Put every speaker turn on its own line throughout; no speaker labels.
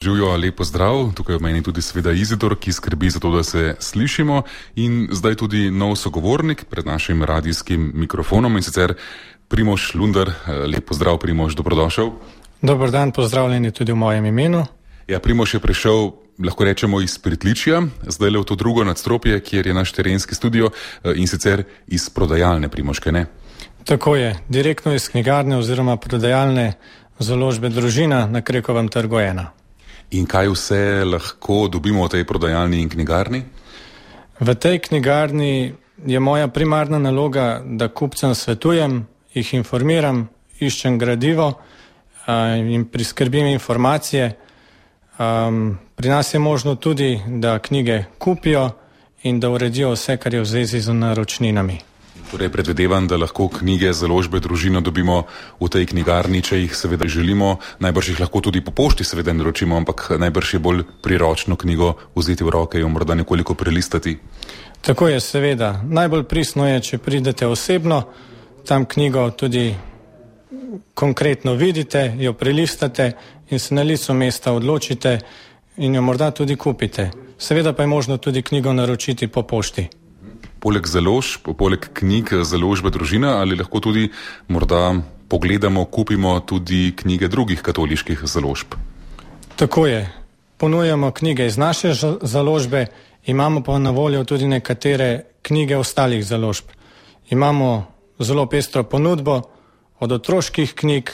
Živijo, lepo zdrav, tukaj v meni tudi seveda Izidor, ki skrbi za to, da se slišimo, in zdaj tudi nov sogovornik pred našim radijskim mikrofonom, in sicer Primož Lunder. Lepo zdrav, Primož, dobrodošel.
Dober dan, pozdravljeni tudi v mojem imenu.
Ja, Primož je prišel, lahko rečemo, iz Pritličja, zdaj le v to drugo nadstropje, kjer je naš terenski studio, in sicer iz prodajalne, Primož, kaj ne?
Tako je, direktno iz knjigarne oziroma prodajalne založbe Družina na Krekovem trgu 1.
In kaj vse lahko dobimo v tej prodajalni in knjigarni?
V tej knjigarni je moja primarna naloga, da kupcem svetujem, jih informiram, iščem gradivo in priskrbim informacije. Pri nas je možno tudi, da knjige kupijo in da uredijo vse, kar je v zvezi z naročninami.
Torej predvidevam, da lahko knjige založbe Družina dobimo v tej knjigarni, če jih seveda želimo. Najbrž jih lahko tudi po pošti seveda naročimo, ampak najbrž je bolj priročno knjigo vzeti v roke in jo morda nekoliko prelistati.
Tako je, seveda. Najbolj pristno je, če pridete osebno, tam knjigo tudi konkretno vidite, jo prelistate in se na licu mesta odločite in jo morda tudi kupite. Seveda pa je možno tudi knjigo naročiti po pošti.
Poleg založb, poleg knjig založbe Družina, ali lahko tudi morda pogledamo, kupimo tudi knjige drugih katoliških založb?
Tako je. Ponujamo knjige iz naše založbe, imamo pa na voljo tudi nekatere knjige ostalih založb. Imamo zelo pestro ponudbo od otroških knjig,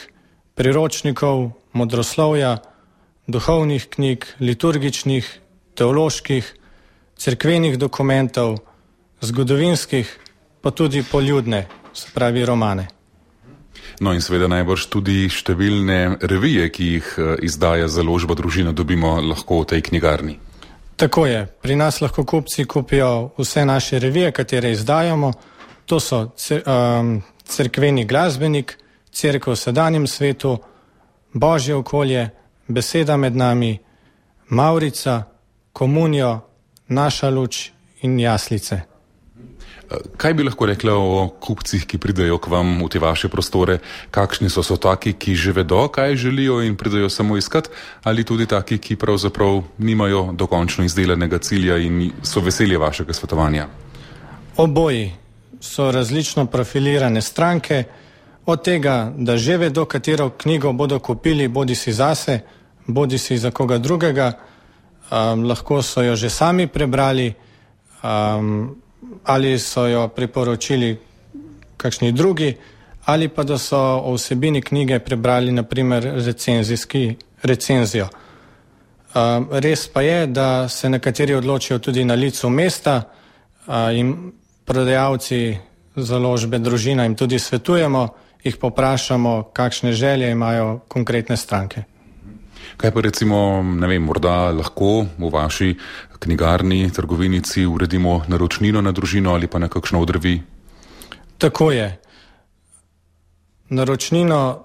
priročnikov, modroslovja, duhovnih knjig, liturgičnih, teoloških, cerkvenih dokumentov, zgodovinskih, pa tudi poljudne, se pravi romane.
No in seveda najbrž tudi številne revije, ki jih izdaja založba Družina, dobimo lahko v tej knjigarni.
Tako je. Pri nas lahko kupci kupijo vse naše revije, katere izdajamo. To so cerkveni glasbenik, Cerkev v sedanjem svetu, Božje okolje, Beseda med nami, Mavrica, Komunijo, Naša luč in Jaslice.
Kaj bi lahko rekla o kupcih, ki pridejo k vam v te vaše prostore? Kakšni so taki, ki že vedo, kaj želijo in pridejo samo iskat, ali tudi taki, ki pravzaprav nimajo dokončno izdelanega cilja in so veseli vašega svetovanja?
Oboji so različno profilirane stranke, od tega, da že vedo, katero knjigo bodo kupili, bodi si zase, bodi si za koga drugega, lahko so jo že sami prebrali, ali so jo priporočili kakšni drugi, ali pa da so o vsebini knjige prebrali naprimer recenzijo. Res pa je, da se nekateri odločijo tudi na licu mesta in prodajalci založbe Družina jim tudi svetujemo, jih poprašamo, kakšne želje imajo konkretne stranke.
Kaj pa recimo, ne vem, morda lahko v vaši knjigarni, trgovinici uredimo naročnino na Družino ali pa na kakšno od revij?
Tako je. Naročnino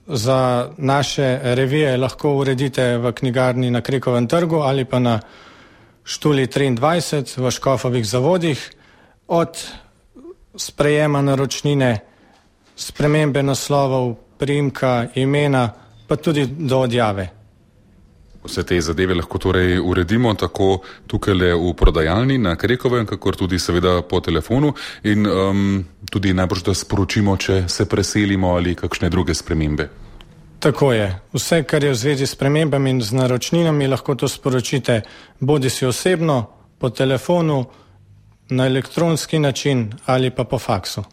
za naše revije lahko uredite v knjigarni na Krekovem trgu ali pa na Štuli 23 v Škofovih zavodih. Od sprejema naročnine, spremembe naslovov, priimka, imena, pa tudi do odjave.
Vse te zadeve lahko torej uredimo tako tukaj v prodajalni na Krekovem, kakor tudi seveda po telefonu in tudi najbrž, da sporočimo, če se preselimo ali kakšne druge spremembe.
Tako je. Vse, kar je v zvezi s spremembami in z naročninami, lahko to sporočite bodi si osebno, po telefonu, na elektronski način ali pa po faksu.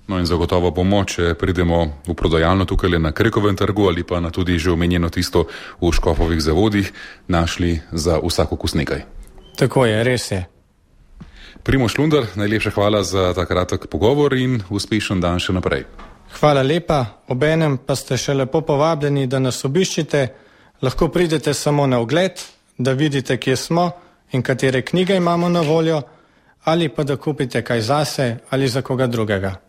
No in zagotovo bomo, če pridemo v prodajalno tukaj na Krekovem trgu ali pa na tudi že omenjeno tisto v Škofovih zavodih, našli za vsak okus nekaj.
Tako je, res je.
Primož Lunder, najlepša hvala za ta kratek pogovor in uspešen dan še naprej.
Hvala lepa, obenem pa ste še lepo povabljeni, da nas obiščite. Lahko pridete samo na ogled, da vidite, kje smo in katere knjige imamo na voljo, ali pa da kupite kaj zase ali za koga drugega.